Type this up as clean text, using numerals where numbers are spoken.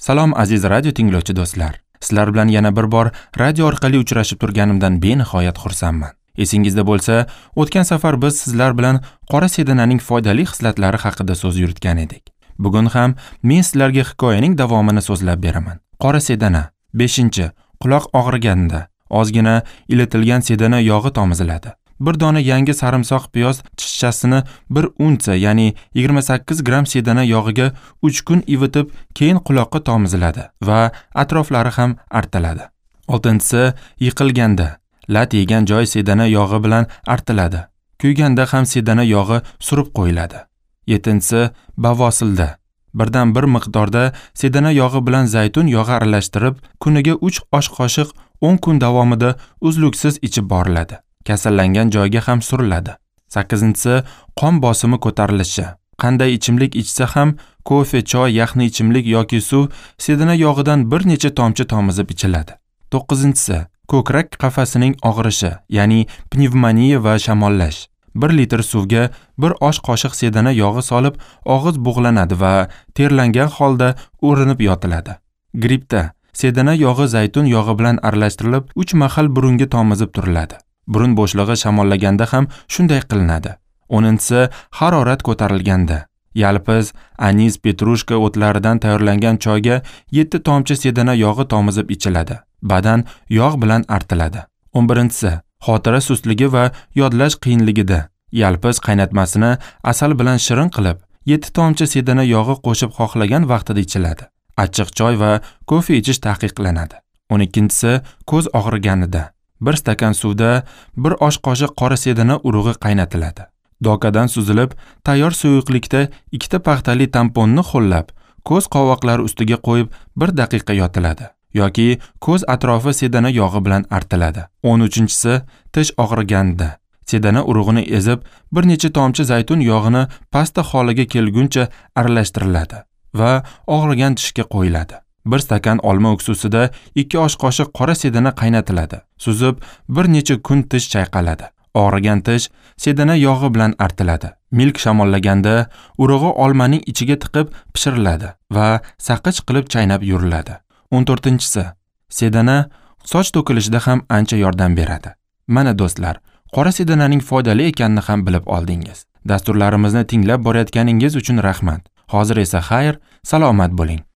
Salom aziz radio tinglovchi do'stlar. Sizlar bilan yana bir bor radio orqali uchrashib turganimdan benihoyat xursandman. Esingizda bo'lsa, o'tgan safar biz sizlar bilan qora sedananing foydali xislatlari haqida so'z yuritgan edik. Bugun ham men sizlarga hikoyaning davomini so'zlab beraman. Qora sedana. 5. Quloq og'riganda ozgina ilitilgan sedana yog'i tomiziladi. Bir dona yangi sarimsoq piyoz tishchasini 1 unsa, ya'ni 28 gramm sedana yog'iga 3 kun ivitib, keyin quloqqa tomiziladi va atroflari ham artiladi. 6. Yiqilganda lat yegan joy sedana yog'i bilan artiladi. Kuyganda ham sedana yog'i surib qo'yiladi. 7. Bavosilda birdan bir miqdorda sedana yog'i bilan zaytun yog'i aralashtirib, kuniga 3 osh qoshiq 10 kun davomida uzluksiz ichib boriladi. Kasallangan joyga ham suriladi. 8. Qon bosimi ko'tarilishi. Qanday ichimlik ichsa ham, kofe, choy, yaxni ichimlik yoki suv sedana yog'idan bir necha tomchi tomizib ichiladi. 9. Ko'krak qafasining og'rishi, ya'ni pnevmoniya va shamollash. 1 litr suvga 1 osh qoshiq sedana yog'i solib, og'iz bug'lanadi va terlangan holda o'rinib yotiladi. Grippda sedana yog'i zaytun yog'i bilan aralashtirilib, 3 mahal burunga tomizib turiladi. Burun bo'shlig'i shamollaganda ham shunday qilinadi. 10. Harorat ko'tarilganda yalpiz, anis, petrushka o'tlaridan tayyorlangan choyga 7 tomchi sedana yog'i tomizib ichiladi. Badan yog' bilan artiladi. 11. Xotira sustligi va yodlash qiyinligida yalpiz qaynatmasini asal bilan shirin qilib, 7 tomchi sedana yog'i qo'shib xohlagan vaqtida ichiladi. Achchiq choy va kofe ichish taqiqlanadi. 12. Ko'z og'riganida 1 stakan suvda 1 osh qoshiq qora sedana urug'i qaynatiladi. Dokadan suzilib, tayyor suyuqlikda 2 ta paxtali tamponni ho'llab, ko'z qovoqlari ustiga qo'yib 1 daqiqa yotiladi yoki ko'z atrofi sedana yog'i bilan artiladi. 13. Tish og'riganda sedana urug'ini ezib, bir necha tomchi zaytun yog'ini pasta holiga kelguncha aralashtiriladi va og'rigan tishga qo'yiladi. 1 stakan olma uksusida 2 osh qoshiq qora sedana qaynatiladi. Suzib, bir necha kun tish chayqaladi. Og'rigan tish sedana yog'i bilan artiladi. Milk shamollaganda urug'i olmaning ichiga tiqib pishiriladi va saqich qilib chaynab yuriladi. 14. Sedana soch to'kilishida ham ancha yordam beradi. Mana do'stlar, qora sedananing foydali ekanini ham bilib oldingiz. Dasturlarimizni tinglab borayotganingiz uchun rahmat. Hozir esa xayr, salomat bo'ling.